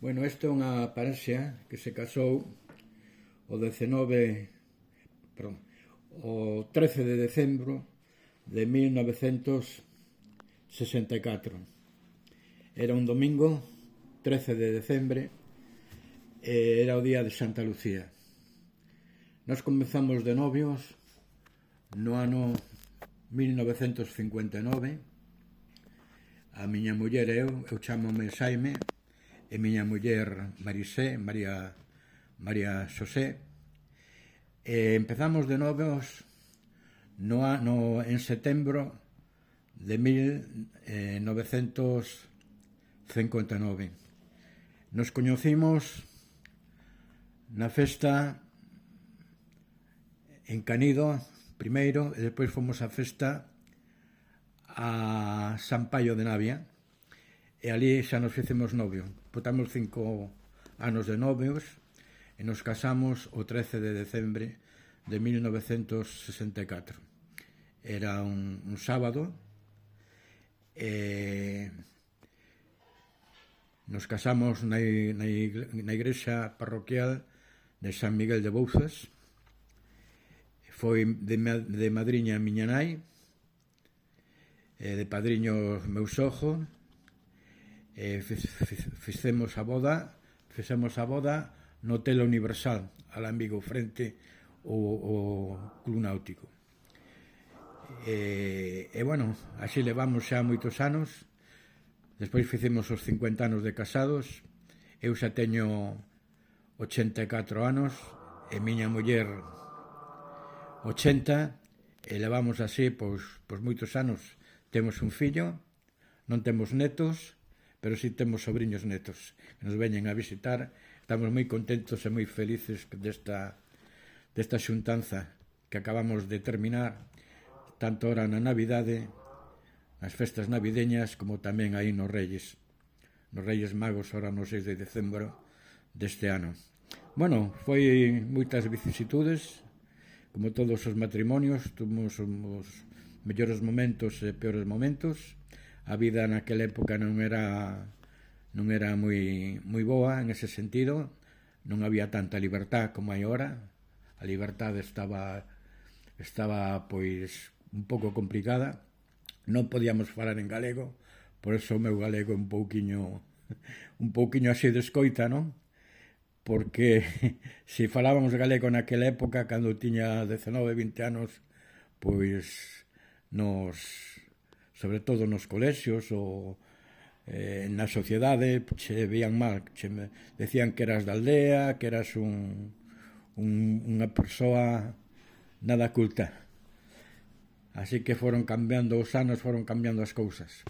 Bueno, esta é unha parexa que se casou o 13 de decembro de 1964. Era un domingo, 13 de decembre, e era o día de Santa Lucía. Nos comezamos de novios no ano 1959. A miña muller e eu chámome Xaime, e miña muller María Xosé, e empezamos de novios en setembro de 1959. Nos coñecimos na festa en Canido primeiro, e despois fomos á festa a San Paio de Navia, e ali xa nos fixemos novios. Botamos 5 anos de novios e nos casamos o 13 de decembre de 1964. Era un sábado e nos casamos na igrexa parroquial de San Miguel de Bouzas. Foi de madriña a miña nai, de padriño meu sogro, e fixemos a boda no Hotel Universal, alá en Vigo, frente ao Club Náutico. E bueno, así levamos xa moitos anos. Despois fixemos os 50 anos de casados. Eu xa teño 84 anos e miña muller 80, e levamos así pois moitos anos. Temos un fillo, non temos netos, pero si temos sobriños netos que nos veñen a visitar. Estamos moi contentos e moi felices desta xuntanza que acabamos de terminar, tanto ora na Navidade, nas festas navideñas, como tamén aí nos Reyes Magos, ora no 6 de decembro deste ano. Bueno, foi moitas vicisitudes, como todos os matrimonios. Tuvimos os mellores momentos e peores momentos. A vida naquela época non era moi boa en ese sentido. Non había tanta libertad como hai ahora. A liberdade estaba pois un pouco complicada. Non podíamos falar en galego, por eso o meu galego é un pouquiño así de escoita, non? Porque se falábamos galego naquela época, cando tiña 19, 20 anos, pois sobre todo nos colexios ou na sociedade, che veían mal, decían que eras da aldea, que eras unha persoa nada culta. Así que foron cambiando os anos, foron cambiando as cousas.